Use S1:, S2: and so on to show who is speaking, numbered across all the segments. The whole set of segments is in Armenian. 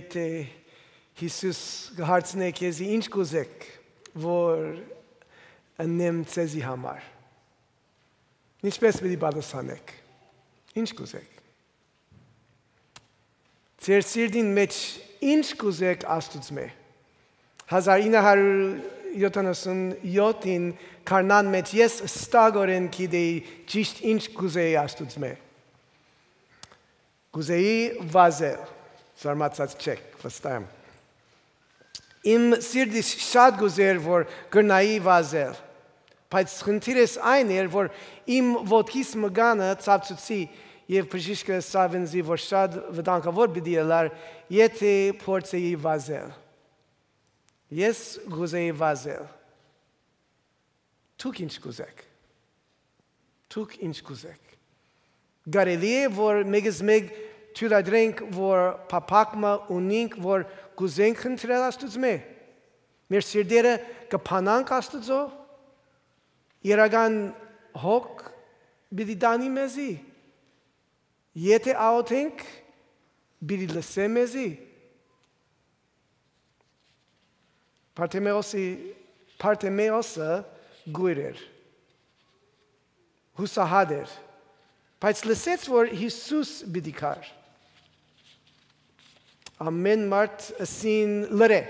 S1: Եթե Հիսուս հարցնե քեզի ինչ կուզեք, որ անեմ ցեզի համար։ Ինչպես պիտի պատասխանեք։ Ինչ կուզեք։ Ձեր սիրտին մեջ ինչ կուզեք Աստծո։ 1977-ին քարնան մեջ ես ստագորեն գիտեի ճիշտ ինչ կուզեի Աստծո։ Կուզեի վազել։ Զարմացած չեք, վստահ եմ։ Իմ սիրտից շատ գուզեր, որ գնայի վազել։ Բայց խնդիրս այն էր, որ իմ ոտքիս մգանը ցավցուցի եւ բժիշկը սավենզի, որ շատ վտանգավոր պիտի լար, եթե փորձեի վազել։ Ես գուզեի վազել։ Դուք ինչ կուզեք։ Դուք ինչ կուզեք։ Կարելի է, որ մեկ թույլատրենք, որ փափակը ունենք, որ կուզենք խնդրել Աստծո։ Մեր սիրտերը կփանանք Աստծո։ Իրական հոգ պիտի տանի մեզի։ Եթե աղոթենք, պիտի լսե մեզի։ Պարտեմեոսը գույր էր, հուսահատ էր, բայց լսեց, որ Հիսուս պիտի կար։ Ամեն մարդ ասին լրե,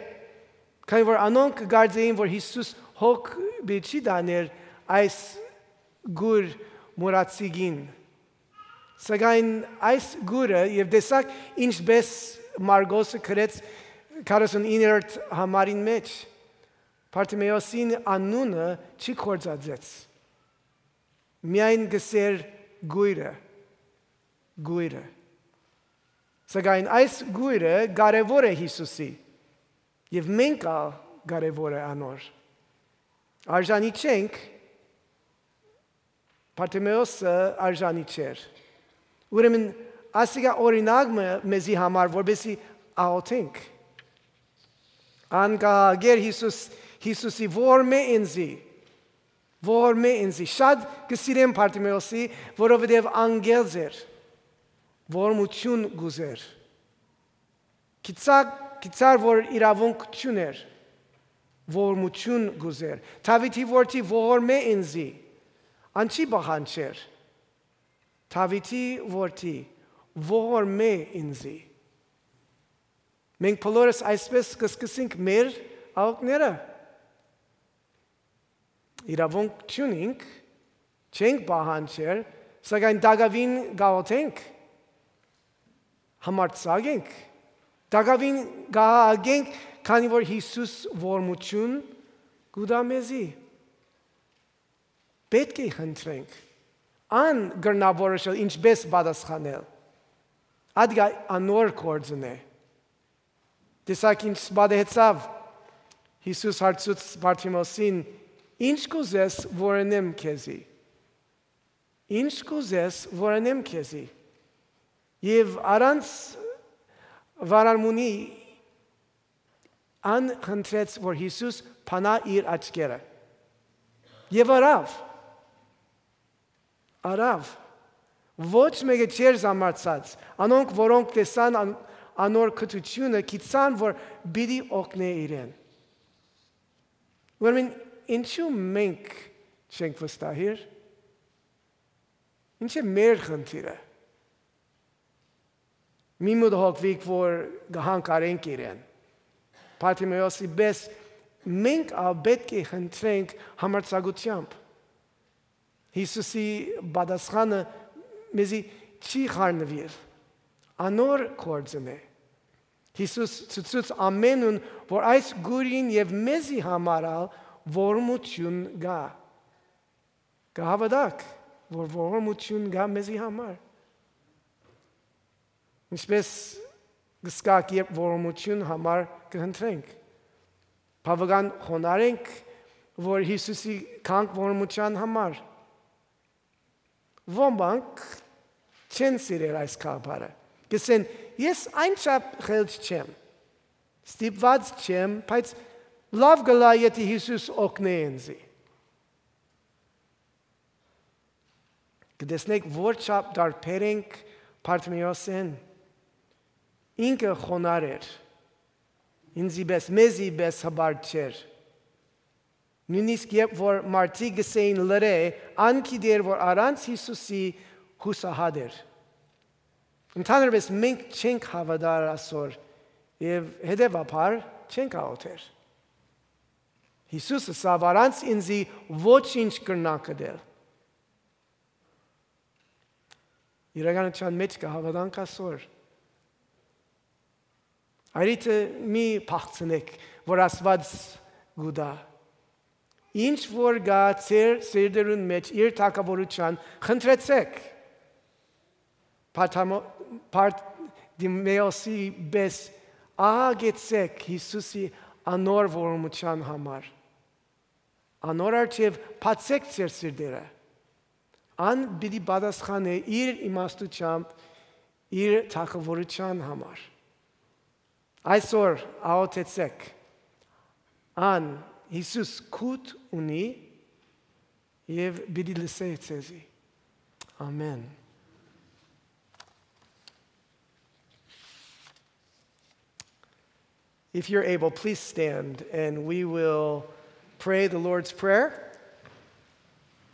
S1: քանի որ անոնք գարձեին, որ Հիսուս հոգ պիտի չի դաներ այս գույր մուրացիգին։ Սակայն այս գույրը և տեսակ ինչպես Մարգոսը գրեց 49-րդ համարին մեջ, Պարտեմեոսին անունը չի կործածեց։ Միայն գսեր գույրը։ Սակայն այս գույրը կարևոր է Հիսուսի, և մենք կարևոր է անոր։ Արժանի չենք, Պարտեմեոսը արժանի չէր։ Ուրեմն ասիկա օրինակ մեզի համար, որպեսզի աղոթենք։ Անկահագեր Հիսուսի ո՛ր ինձի, շատ կսիրեմ Պարտեմեոսի, որովհետև անգելձ էր, ողորմություն գուզեր։ Գիտար, որ իրավունք չուներ, ողորմություն գուզեր։ Դավիթի որդի ողորմե ինձի, անչի բախանչեր։ Դավիթի որդի ողորմե ինձի։ Մենք բոլորս այսպես կսկսենք մեր աղոթքները։ Իրավունք չունենք, չենք բախանչեր, սակայն դակավին գաղոթենք, համարձակ ենք, դակավին գահագենք, քանի որ Հիսուս ողորմություն կուտա մեզի։ Պետք է խնդրենք, ան գրնավորոշել ինչպես պատասխանել։ Ադգա անոր գործն է։ Տեսակ ինչ պատահեցավ, Հիսուս հարցուց Պարտեմեոսին, ինչ կուզես, որ անեմ քեզի։ Ինչ կուզես, որ անեմ քեզի։ Եվ առանց վարարմունի ան խնդրեց, որ Հիսուս փանա իր աչքերը։ Եվ արավ, ոչ մեկը չէր զամարցած, անոնք, որոնք տեսան անոր կթությունը, գիտան, որ պիտի օգնե իրեն։ Ուրեմն ինչու մենք չենք վստահիր։ Ինչ է մեր խնդիրը։ Մի մոտ հոգվիկ, որ գահանկարենք իրեն։ Պարտեմեոսի պես մենք պետք է խնդրենք համարձակությամբ։ Հիսուսի պատասխանը մեզի չի խառնվիր։ Անոր գործն է։ Հիսուս ցույց ամենուն, որ այս գույրին և մեզի համար ողորմություն գա։ Կհավատաք, որ ողորմություն գա մեզի համար։ Ինչպես գսկակ երբ ողորմություն համար կհնդրենք։ Բավական խոնարհենք, որ Հիսուսի կանք ողորմության համար։ Ոմանք չեն սիրել այս կապարը։ Գսեն, ես այնչափ խելք չեմ, ստիպված չեմ, բայց լավ գլա, եթե Հիսուս օգնե ինձի։ Կտեսնեք, որ չափ տարբեր ենք Պարտեմեոսեն։ ինքը խոնար էր, ինձի պես, մեզի պես հբարդ չէր։ Նույնիսկ երբ որ մարդիկ գսեին լրե, անկիդեր, որ առանց Հիսուսի հուսահատ էր։ Ընդհանրապես մենք չենք հավատար այսօր եւ հետեւաբար չենք աղոթեր։ Հիսուսը սավ առանց ինձի ոչինչ կրնա կդել։ Իրականության մեջ կա հավատանք այսօր։ Այրիթը մի փախցնեք, որ Աստված գուդա։ Ինչ որ գա ծեր սերդերուն մեջ իր թակավորության խնդրեցեք։ Պարտիմեոսի բես աղագեցեք Հիսուսի անոր որմության համար։ Անոր արջև պացեք ծեր սերդերը։ Ան բիդի պատասխան է իր իմաստությամբ իր թակավորության համար։ Այսօր աղոթեցեք։ Ան Հիսուս կուտ ունի եւ բիդի լսե ցեզի։ Amen. If you're able, please stand and we will pray the Lord's Prayer.